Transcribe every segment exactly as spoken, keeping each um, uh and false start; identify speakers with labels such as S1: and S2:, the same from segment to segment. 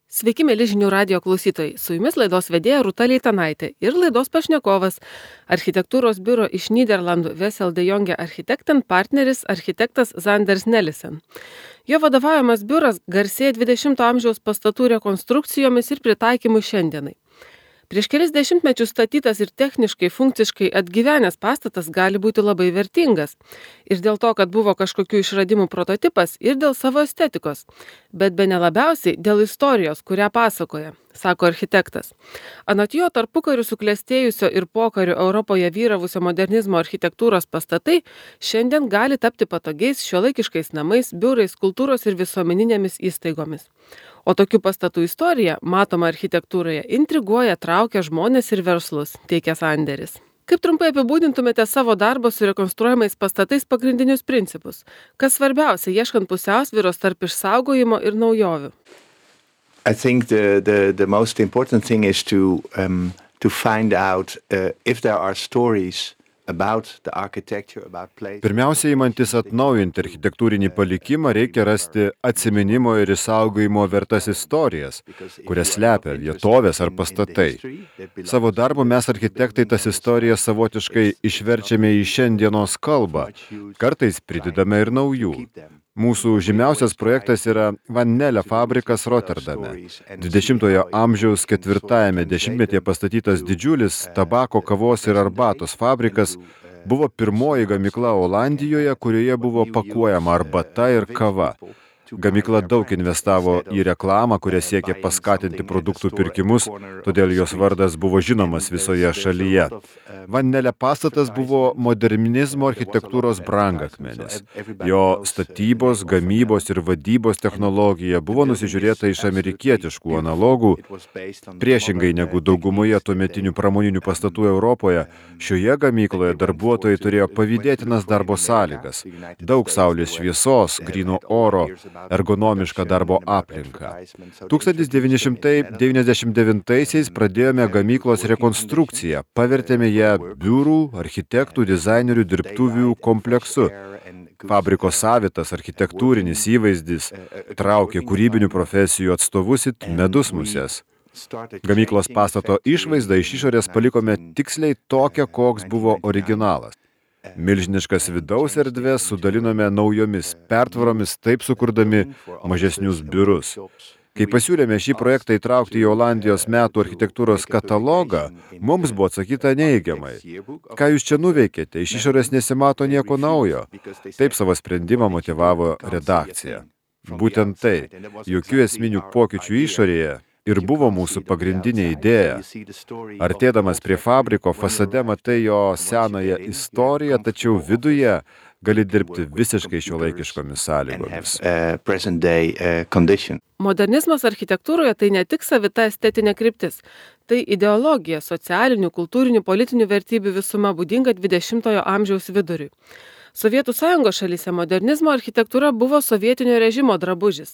S1: Sveiki, mėly žinių radijo klausytojai. Su jumis laidos vedėja Rūta Leitanaitė ir laidos pašnekovas architektūros biuro iš Nyderlandų Wessel de Jonge Architekten partneris architektas Zanders Nelissen. Jo vadovaujamas biuras garsėja dvidešimto amžiaus pastatų rekonstrukcijomis ir pritaikymu šiandienai. Prieš kelis dešimtmečius statytas ir techniškai, funkciškai atgyvenęs pastatas gali būti labai vertingas. Ir dėl to, kad buvo kažkokių išradimų prototipas, ir dėl savo estetikos. Bet bene labiausiai dėl istorijos, kurią pasakoja, sako architektas. Anot jo, tarpukariu suklestėjusio ir pokariu Europoje vyravusio modernizmo architektūros pastatai šiandien gali tapti patogiais šiuolaikiškais namais, biurais, kultūros ir visuomeninėmis įstaigomis. O tokių pastatų istorija, matoma architektūroje, intriguoja, traukia žmonės ir verslus, teikia Zanderis. Kaip trumpai apibūdintumėte savo darbą su rekonstruojamais pastatais pagrindinius principus? Kas svarbiausia, ieškant pusiausvyros tarp išsaugojimo ir naujovių?
S2: I think the, the, the most important thing is to, um, to find out uh, if there are stories about the architecture, about place.
S3: Pirmiausia, įmantis atnaujinti architektūrinį palikimą, reikia rasti atsiminimo ir išsaugojimo vertas istorijas, kurias slepia vietovės ar pastatai. Savo darbu mes architektai tas istorijas savotiškai išverčiame į šiandienos kalbą, kartais pridedame ir naujų. Mūsų žymiausias projektas yra Van Nelle fabrikas Rotterdame. dvidešimtojo amžiaus ketvirtajame dešimtmetyje pastatytas didžiulis tabako, kavos ir arbatos fabrikas buvo pirmoji gamykla Olandijoje, kurioje buvo pakuojama arbata ir kava. Gamykla daug investavo į reklamą, kuria siekė paskatinti produktų pirkimus, todėl jos vardas buvo žinomas visoje šalyje. Van Nelle pastatas buvo modernizmo architektūros brangakmenis. Jo statybos, gamybos ir vadybos technologija buvo nusižiūrėta iš amerikietiškų analogų. Priešingai negu daugumoje tuometinių pramoninių pastatų Europoje, šioje gamykloje darbuotojai turėjo pavydėtinas darbo sąlygas. Daug saulės šviesos, gryno oro, ergonomišką darbo aplinką. tūkstantis devyni šimtai devyniasdešimt devintaisiais pradėjome gamyklos rekonstrukciją, pavertėme ją biurų, architektų, dizainerių dirbtuvių kompleksu. Fabriko savitas architektūrinis įvaizdis traukė kūrybinių profesijų atstovus it medus muses. Gamyklos pastato išvaizdą iš išorės palikome tiksliai tokią, koks buvo originalas. Milžiniškas vidaus erdvės sudalinome naujomis pertvaromis, taip sukurdami mažesnius biurus. Kai pasiūlėme šį projektą įtraukti į Olandijos metų architektūros katalogą, mums buvo atsakyta neigiamai. Ką jūs čia nuveikėte? Iš išorės nesimato nieko naujo. Taip savo sprendimą motyvavo redakcija. Būtent tai, jokių esminių pokyčių išorėje, ir buvo mūsų pagrindinė idėja. Artėdamas prie fabriko, fasade matai jo senąją istoriją, tačiau viduje gali dirbti visiškai šiuolaikiškomis sąlygomis.
S1: Modernizmas architektūroje tai ne tik savita estetinė kryptis, tai ideologija, socialinių, kultūrinių, politinių vertybių visuma būdinga dvidešimtojo amžiaus viduriui. Sovietų sąjungos šalyse modernizmo architektūra buvo sovietinio režimo drabužis.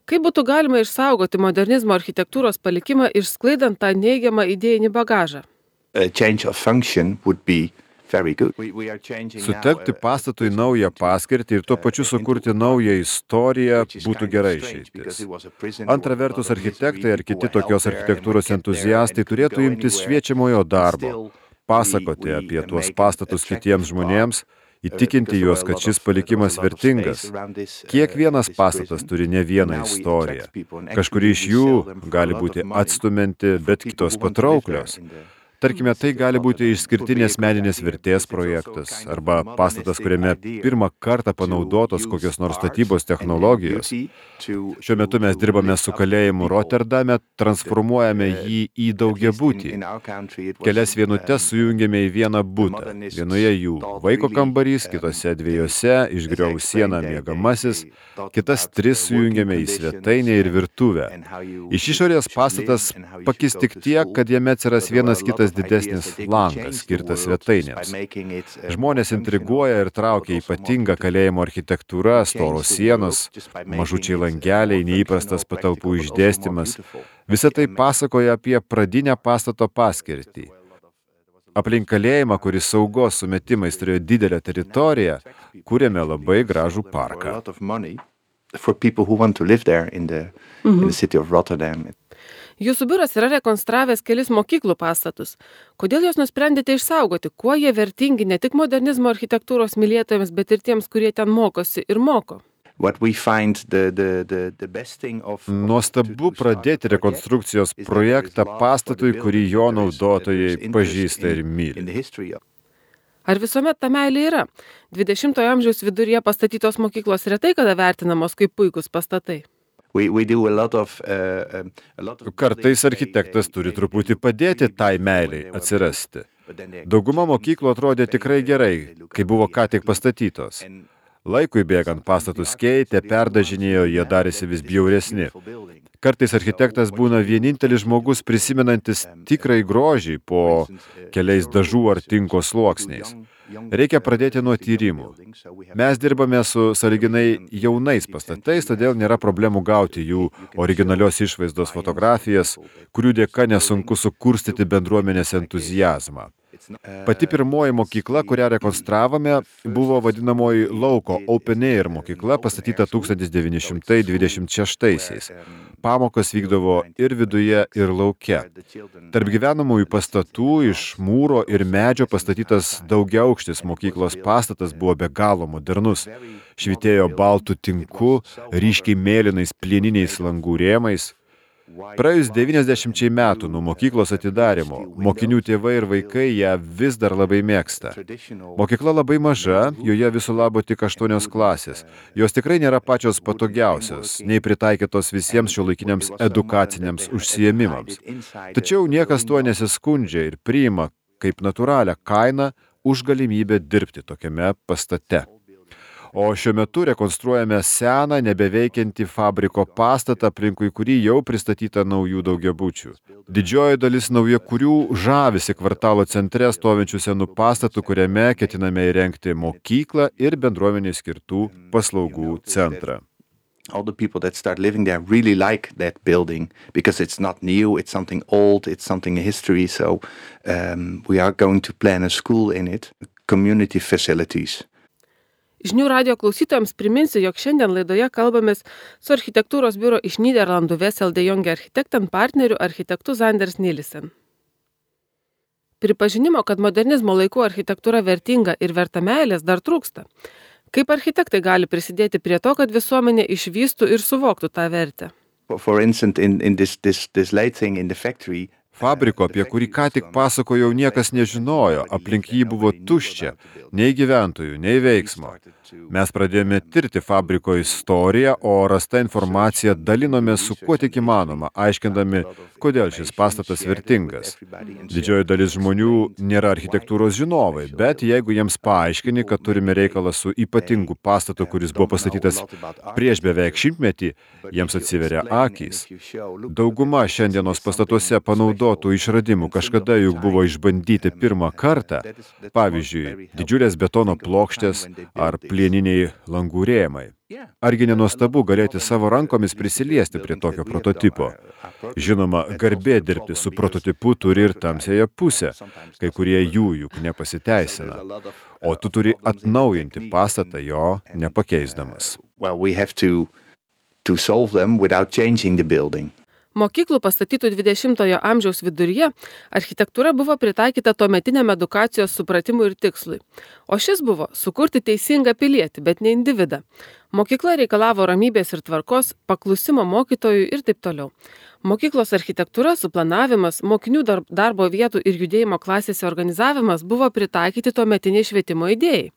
S1: Kaip būtų galima išsaugoti modernizmo architektūros palikimą išsklaidant tą neigiamą idėjinį bagažą?
S3: Sutelkti pastatui naują paskirtį ir tuo pačiu sukurti naują istoriją būtų gerai išeitis. Antra vertus, architektai ar kiti tokios architektūros entuziastai turėtų imtis šviečiamojo darbo, pasakoti apie tuos pastatus kitiems žmonėms, įtikinti juos, kad šis palikimas vertingas. Kiekvienas pastatas turi ne vieną istoriją. Kažkuri iš jų gali būti atstumianti, bet kitos patrauklios. Tarkime, tai gali būti išskirtinės meninės vertės projektas arba pastatas, kuriame pirmą kartą panaudotos kokios nors statybos technologijos. Šiuo metu mes dirbame su kalėjimu Rotterdame, transformuojame jį į daugiabutį. Kelias vienutes sujungėme į vieną butą. Vienoje jų vaiko kambarys, kitose dviejose išgriovus sieną miegamasis, kitas tris sujungėme į svetainę ir virtuvę. Iš išorės pastatas pakis tik tiek, kad jame atsiras vienas kitas didesnis langas, skirtas svetainėms. Žmonės intriguoja ir traukia ypatinga kalėjimo architektūra, storos sienos, mažučiai langeliai, neįprastas patalpų išdėstymas. Visa tai pasakoja apie pradinę pastato paskirtį. Aplink kalėjimą, kuris saugos sumetimais turėjo didelę teritoriją, kūrėme labai gražų parką.
S2: for people who want to live there in the, mm-hmm. in the city of Rotterdam.
S1: Jūsų biuras yra rekonstravęs kelis mokyklų pastatus. Kodėl jūs nusprendėte išsaugoti, kuo jie vertingi ne tik modernizmo architektūros mylėtojams, bet ir tiems, kurie ten mokosi ir moko?
S2: The, the, the, the of,
S3: Nuostabu pradėti rekonstrukcijos projektą pastatui, kurį jo naudotojai pažįsta ir myli.
S1: Ar visuomet ta meilė yra? dvidešimtojo amžiaus viduryje pastatytos mokyklos retai kada vertinamos kaip puikūs pastatai.
S2: We, we do a lot of, uh, a lot of
S3: Kartais architektas turi truputį padėti tai meiliai atsirasti. Dauguma mokyklų atrodė tikrai gerai, kai buvo ką tik pastatytos. Laikui bėgant pastatus keitė, perdažinėjo, jie darėsi vis bjauresni. Kartais architektas būna vienintelis žmogus prisimenantis tikrai grožį po keliais dažų ar tinko sluoksniais. Reikia pradėti nuo tyrimų. Mes dirbame su sąlyginai jaunais pastatais, todėl nėra problemų gauti jų originalios išvaizdos fotografijas, kurių dėka nesunku sukurstyti bendruomenės entuziazmą. Pati pirmoji mokykla, kurią rekonstravome, buvo vadinamoji lauko Open Air mokykla, pastatyta tūkstantis devyni šimtai dvidešimt šeštaisiais. Pamokos vykdavo ir viduje, ir lauke. Tarp gyvenamųjų pastatų iš mūro ir medžio pastatytas daugiaaukštis mokyklos pastatas buvo be galo modernus. Švytėjo baltų tinku, ryškiai mėlynais plieniniais langų rėmais. Praėjus devyniasdešimčiai metų nuo mokyklos atidarymo, mokinių tėvai ir vaikai ją vis dar labai mėgsta. Mokykla labai maža, joje viso labo tik aštuonios klasės. Jos tikrai nėra pačios patogiausios, nei pritaikytos visiems šiuolaikiniams edukaciniams užsiėmimams. Tačiau niekas tuo nesiskundžia ir priima kaip natūralią kainą už galimybę dirbti tokiame pastate. O šiuo metu rekonstruojame seną, nebeveikiantį fabriko pastatą, aplinkui kurį jau pristatyta naujų daugiabučių. Didžioji dalis naujakurių žavisi kvartalo centre stovinčių senų pastatų, kuriame ketiname įrengti mokyklą ir bendruomenei skirtų paslaugų centrą.
S2: All the people that start living there really like that building because it's not new, it's something old, it's something in history. So um, we are going to plan a school in it, community facilities.
S1: Žinių radijo klausytojams priminsiu, jog šiandien laidoje kalbamės su architektūros biuro iš Nyderlandų Wessel de Jonge Architekten partneriu architektu Zanders Nilsen. Pripažinimo, kad modernizmo laikų architektūra vertinga ir verta meilės, dar trūksta. Kaip architektai gali prisidėti prie to, kad visuomenė išvystų ir suvoktų tą vertę?
S2: For instance, in, in this, this, this late thing in the factory,
S3: Fabriko, apie kurį ką tik pasakojau, niekas nežinojo, aplink jį buvo tuščia, nei gyventojų, nei veiksmo. Mes pradėjome tirti fabriko istoriją, o rasta informacija dalinome su kuo tik įmanoma, aiškindami, kodėl šis pastatas vertingas. Didžioji dalis žmonių nėra architektūros žinovai, bet jeigu jiems paaiškini, kad turime reikalą su ypatingu pastatu, kuris buvo pastatytas prieš beveik šimtmetį, jiems atsiveria akys. Dauguma šiandienos pastatuose panaudotų išradimų kažkada juk buvo išbandyti pirmą kartą, pavyzdžiui, didžiulės betono plokštės ar plieniniai langų rėmai. Argi nenuostabu galėti savo rankomis prisiliesti prie tokio prototipo? Žinoma, garbė dirbti su prototipu turi ir tamsiąją pusę, kai kurie jų juk nepasiteisina. O tu turi atnaujinti pastatą jo nepakeisdamas.
S2: Well, we have to, to solve them without changing the building.
S1: Mokyklų pastatytų dvidešimtojo amžiaus viduryje architektūra buvo pritaikyta tuometiniam edukacijos supratimui ir tikslui. O šis buvo sukurti teisingą pilietį, bet ne individą. Mokykla reikalavo ramybės ir tvarkos, paklusimo mokytojų ir taip toliau. Mokyklos architektūra, suplanavimas, mokinių darbo vietų ir judėjimo klasėse organizavimas buvo pritaikyti tuometiniai švietimo idėjai.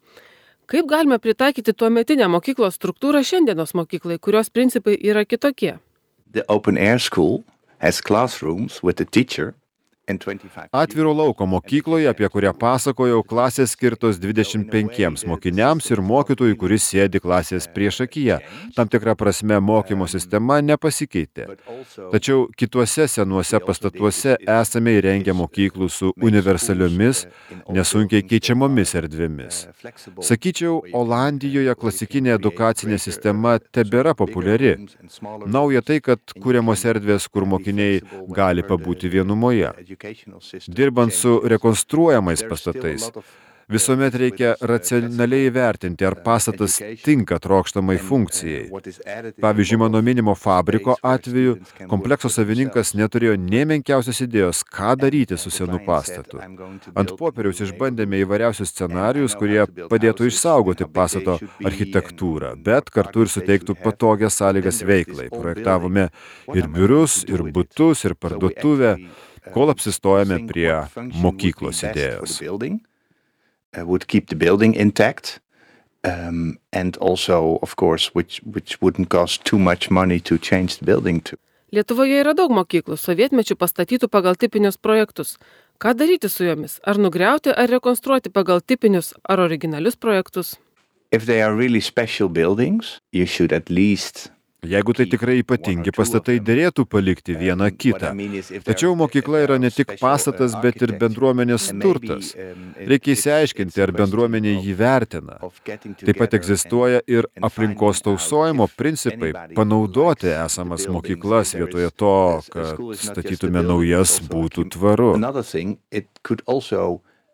S1: Kaip galime pritaikyti tuometinę mokyklos struktūrą šiandienos mokyklai, kurios principai yra kitokie?
S2: The open air school has classrooms with the teacher and twenty-five.
S3: Atviro lauko mokykloje, apie kurią pasakojau, klasės skirtos dvidešimt penkiems mokiniams ir mokytojui, kuris sėdi klasės priešakyje. Tam tikra prasme mokymo sistema nepasikeitė. Tačiau kituose senuose pastatuose esame įrengę mokyklų su universaliomis, nesunkiai keičiamomis erdvėmis. Sakyčiau, Olandijoje klasikinė edukacinė sistema tebėra populiari. Nauja tai, kad kuriamos erdvės, kur mokiniai gali pabūti vienumoje. Dirbant su rekonstruojamais pastatais, Visuomet reikia racionaliai įvertinti, ar pastatas tinka trokštamai funkcijai. Pavyzdžiui, mano minimo fabriko atveju komplekso savininkas neturėjo nė menkiausios idėjos, ką daryti su senu pastatu. Ant popieriaus išbandėme įvairiausius scenarijus, kurie padėtų išsaugoti pastato architektūrą, bet kartu ir suteiktų patogias sąlygas veiklai. Projektavome ir biurus, ir butus, ir parduotuvę, kol apsistojame prie mokyklos idėjos.
S2: Uh, would keep the building intact, um, and also, of course, which, which wouldn't cost too much money to change the building to.
S1: Lietuvoje yra daug mokyklų, sovietmečių pastatytų pagal tipinius projektus. Ką daryti su jomis? Ar nugriauti, ar rekonstruoti pagal tipinius ar originalius projektus?
S2: If they are really special buildings, you should at least
S3: Jeigu tai tikrai ypatingi pastatai, dėrėtų palikti vieną kitą. Tačiau mokykla yra ne tik pastatas, bet ir bendruomenės turtas. Reikia įsiaiškinti, ar bendruomenė jį vertina. Taip pat egzistuoja ir aplinkos tausojimo principai, panaudoti esamas mokyklas vietoje to, kad statytume naujas, būtų tvaru.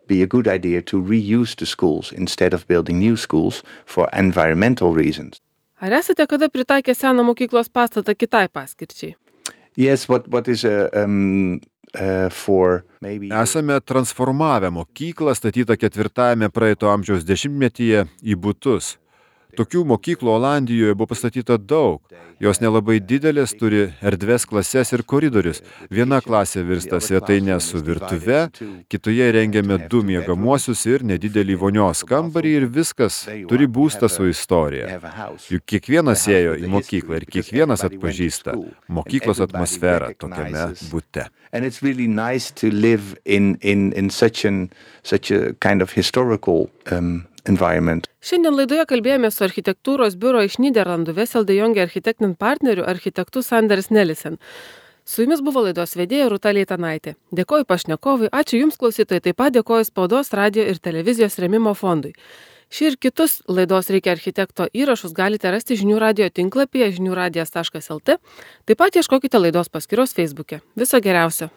S2: Be a good idea to reuse the schools instead of building new schools for environmental reasons.
S1: Ar esate kada pritaikę seną mokyklos pastatą kitai paskirčiai?
S2: Yes, what, what is a, um, uh, for maybe...
S3: Esame transformavę mokyklą statytą ketvirtajame praeito amžiaus dešimtmetyje į butus. Tokių mokyklų Olandijoje buvo pastatyta daug. Jos nelabai didelės, turi erdves klases ir koridorius. Viena klasė virsta svetainė su virtuve, kitoje rengiame du miegamuosius ir nedidelį vonios kambarį ir viskas. Turi būstą su istorija. Juk kiekvienas ėjo į mokyklą ir kiekvienas atpažįsta mokyklos atmosferą tokiame bute.
S2: And it's really nice to live in, in, in such, an, such a kind of historical um, environment.
S1: Šiandien laidoje kalbėjome su architektūros biuro iš Nyderlandų Wessel de Jonge architecten partneriu architektu Sanders Nelissen. Su jumis buvo laidos vedėja Rūta Leitanaitė. Dėkoju pašnekovui, ačiū jums klausytojai, taip pat dėkoju Spaudos, radio ir televizijos rėmimo fondui. Šį ir kitus laidos Reikia architekto įrašus galite rasti žinių radio tinklapyje žinių radijas taškas lt. Taip pat ieškokite laidos paskyros Facebook'e. Viso geriausio.